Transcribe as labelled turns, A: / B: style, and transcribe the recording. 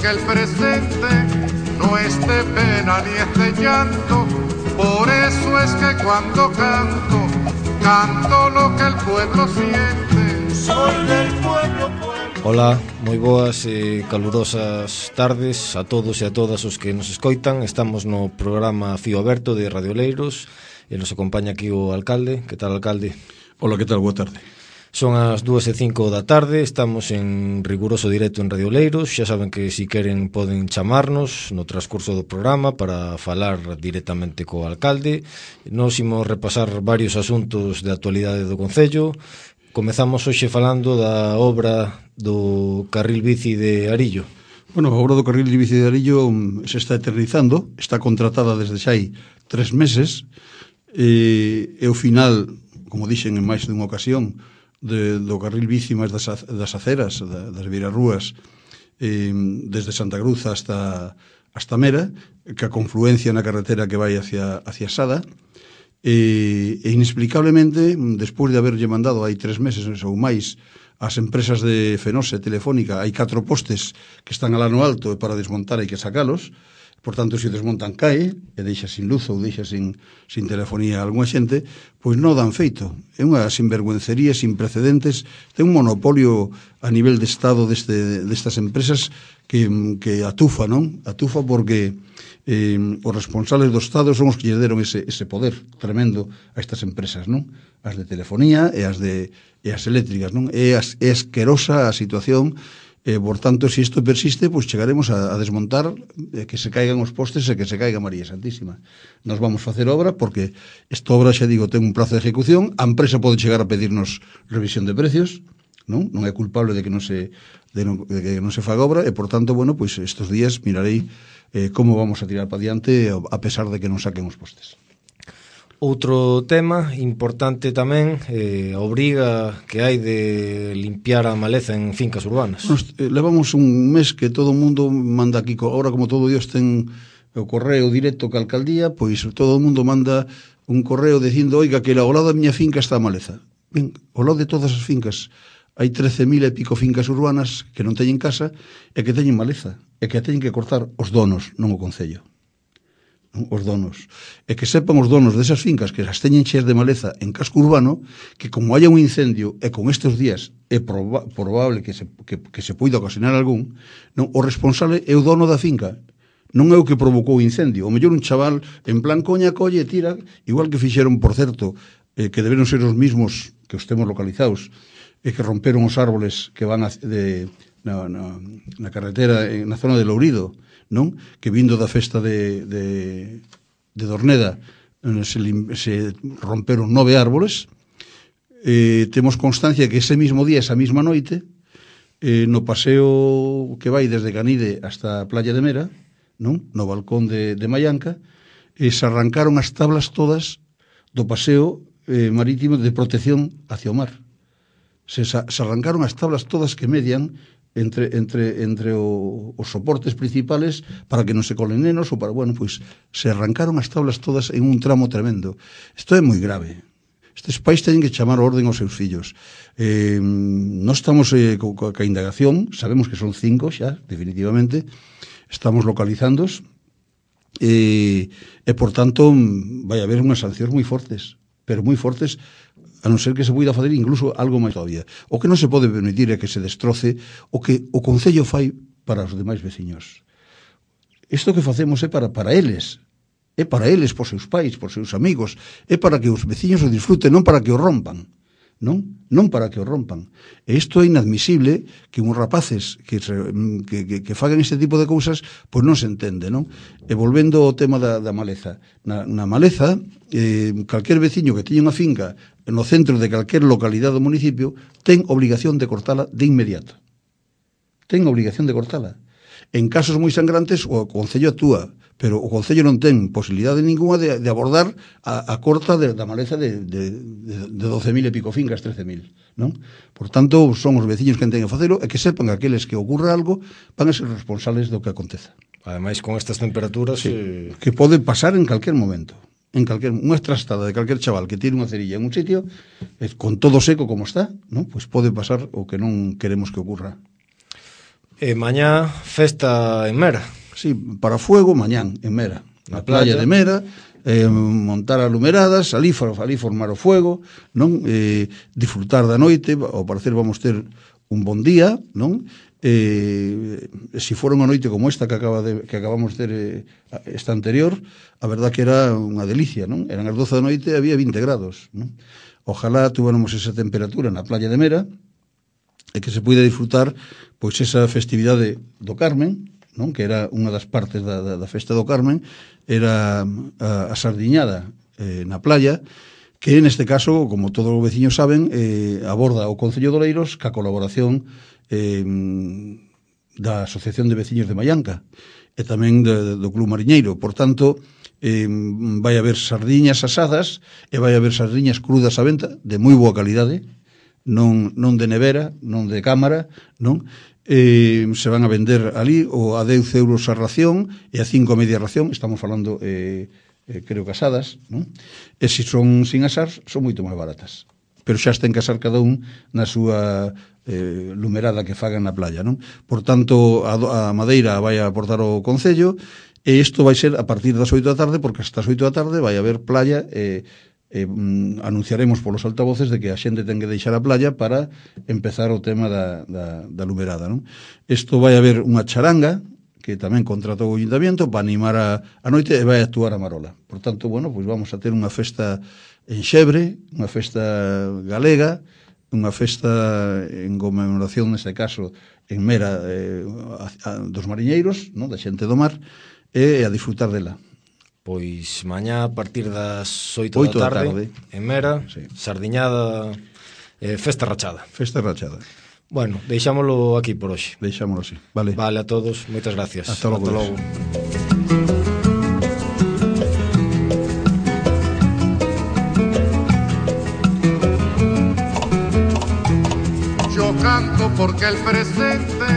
A: que el presente no es de pena ni es de llanto. Por eso es que cuando canto, canto lo que el pueblo siente. Soy del pueblo, pueblo.
B: Hola, moi boas e calurosas tardes a todos e a todas os que nos escoitan. Estamos no programa Fío Aberto de Radio Oleiros e nos acompaña aquí o alcalde. Que tal, alcalde?
C: Hola, que tal? Boa tarde.
B: Son as 2:05 da tarde, estamos en riguroso directo en Radio Oleiros. Xa saben que si queren poden chamarnos no transcurso do programa para falar directamente co alcalde. Nos imos repasar varios asuntos de actualidade do Concello. Comezamos hoxe falando da obra do carril bici de Arillo.
C: Bueno, a obra do carril bici de Arillo se está eternizando, está contratada desde xa hai 3 meses, e o final, como dixen en máis dunha ocasión, do carril bici máis das aceras, das beirarrúas, desde Santa Cruz hasta Mera, que a confluencia na carretera que vai hacia Sada, e inexplicablemente, despois de haberlle mandado hai 3 meses ou máis as empresas de Fenose, Telefónica, hai 4 postes que están alá no alto e para desmontar hai que sacalos. Por tanto, se desmontan cae e deixa sin luz ou deixa sin telefonía a algunha xente, pois non dan feito. É unha sinvergüencería sin precedentes, ten un monopolio a nivel de Estado destas empresas que atufa, non? Atufa porque os responsables do Estado son os que lle deron ese poder tremendo a estas empresas, non? As de telefonía e as eléctricas, non? É asquerosa a situación. Por tanto, se isto persiste, pois chegaremos a desmontar, que se caigan os postes e que se caiga María Santísima. Nos vamos facer obra porque esta obra, xa digo, ten un prazo de ejecución. A empresa pode chegar a pedirnos revisión de precios, non é culpable de que non se faga obra, e por tanto, bueno, pois estes días mirarei como vamos a tirar para diante a pesar de que non saquen os postes.
B: Outro tema importante tamén, a obriga que hai de limpiar a maleza en fincas urbanas.
C: Levamos un mes que todo o mundo manda aquí, ahora como todo Dios ten o correo directo ca alcaldía, pois todo o mundo manda un correo dicindo, oiga, que ao lado da miña finca está a maleza. Ben, ao lado de todas as fincas hai 13.000 e pico fincas urbanas que non teñen casa e que teñen maleza, e que a teñen que cortar os donos, non o Concello. Os donos, e que sepan os donos desas fincas que as teñen cheas de maleza en casco urbano, que como haya un incendio, e con estes días é probable que se poida ocasionar algún, non, o responsable é o dono da finca, non é o que provocou o incendio. O mellor un chaval en plan coña colle e tira, igual que fixeron, por certo, que deberon ser os mismos que os temos localizados, e que romperon os árboles que van na carretera, na zona de Lourido, non? Que vindo da festa de Dorneda se romperon 9 árboles. Temos constancia que ese mismo día, esa mesma noite, no paseo que vai desde Canide hasta a Playa de Mera, non? No balcón de Mallanca, se arrancaron as tablas todas do paseo marítimo de protección hacia o mar. Se arrancaron as tablas todas que median entre os soportes principales para que non se colen nenos ou para, bueno, pois se arrancaron as tablas todas en un tramo tremendo. Isto é moi grave. Estes pais teñen que chamar orden aos seus fillos. Non estamos ca indagación, sabemos que son 5 xa, definitivamente, estamos localizándos e por tanto vai haber unhas sancións moi fortes, pero moi fortes, a non ser que se poida fazer incluso algo máis todavía. O que non se pode permitir é que se destroce o que o Concello fai para os demais veciños. Isto que facemos é para eles, por seus pais, por seus amigos, é para que os veciños o disfruten, non para que o rompan. Non para que o rompan. E isto é inadmisible que uns rapaces que fagan este tipo de cousas, pois non se entende, non? E volvendo ao tema da maleza. Na maleza, calquer veciño que teña unha finca no centro de calquer localidade do municipio ten obligación de cortala de inmediato. Ten obligación de cortala. En casos moi sangrantes o Concello actúa, pero o Concello non ten posibilidade ninguna de abordar a corta da maleza de 12.000 e pico fincas, 13.000, non? Por tanto, son os veciños que ten que facelo e que sepan aqueles que ocurra algo van a ser responsables do que aconteza.
B: Ademais, con estas temperaturas...
C: Sí, que pode pasar en calquer momento. Unha trastada de calquer chaval que tire unha cerilla en un sitio, con todo seco como está, non? Pois pode pasar o que non queremos que ocurra.
B: E mañá, festa en Mera.
C: Sí, para fuego, mañán, en Mera. Na playa de Mera, montar alumeradas, ali formar o fuego, non? Disfrutar da noite, ao parecer vamos ter un bon día, non? Se fora unha noite como esta que acabamos de ter esta anterior, a verdad que era unha delicia, non? Eran as 12 da noite e había 20 grados, non? Ojalá tuviéramos esa temperatura na playa de Mera e que se puida disfrutar pois esa festividade do Carmen, non? Que era unha das partes da festa do Carmen, era a sardiñada na playa, que neste caso, como todos os veciños saben, aborda o Concello de Oleiros ca colaboración da Asociación de Veciños de Mallanca e tamén do Club Mariñeiro. Por tanto, vai haber sardiñas asadas e vai haber sardiñas crudas á venta de moi boa calidade, non de nevera, non de cámara, non? Se van a vender ali a 10 euros a ración e a 5 a media ración, estamos falando creo que asadas, non? E se son sin asar son moito máis baratas, pero xa ten que asar cada un na súa lumerada que fagan na playa, non? Por tanto, a madeira vai a aportar o Concello e isto vai ser a partir das 8 da tarde, porque hasta as 8 da tarde vai haber playa anunciaremos polos altavoces de que a xente ten que deixar a playa para empezar o tema da lumerada, non? Isto vai haber unha charanga que tamén contratou o Ayuntamiento para animar a noite e vai actuar a Marola. Por tanto, bueno, pois vamos a ter unha festa en Xebre, unha festa galega, unha festa en conmemoración, neste caso, en Mera dos mariñeiros, non? Da xente do mar, e a disfrutar dela.
B: Pois mañá a partir das 8 da tarde en Mera, sí. Sardiñada, festa rachada.
C: Festa rachada.
B: Bueno, deixámolo aquí por hoxe.
C: Deixámolo así, vale.
B: Vale, a todos, moitas gracias.
C: Hasta logo.
A: Yo canto porque el presente